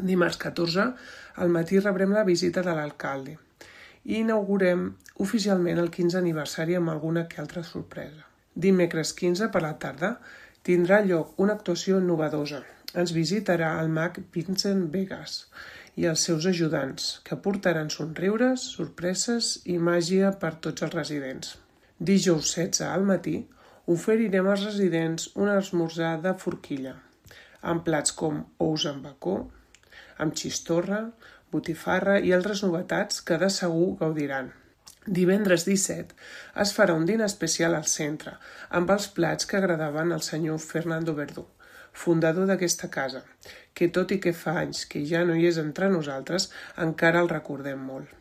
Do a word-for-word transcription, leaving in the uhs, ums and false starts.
Dimarts catorze, al matí rebrem la visita de l'alcalde i inaugurem oficialment el quinze aniversari amb alguna que altra sorpresa. Dimecres quinze, per la tarda, tindrà lloc una actuació innovadora. Ens visitarà el mag Vincent Vegas i els seus ajudants, que portaran somriures, sorpreses i màgia per tots els residents. Dijous setze al matí oferirem als residents un esmorzar de forquilla, amb plats com ous amb bacó, amb xistorra, botifarra i altres novetats que de segur gaudiran. Divendres disset es farà un dinar especial al centre, amb els plats que agradaven al senyor Fernando Verdú, fundador d'aquesta casa, que tot i que fa anys que ja no hi és entre nosaltres, encara el recordem molt.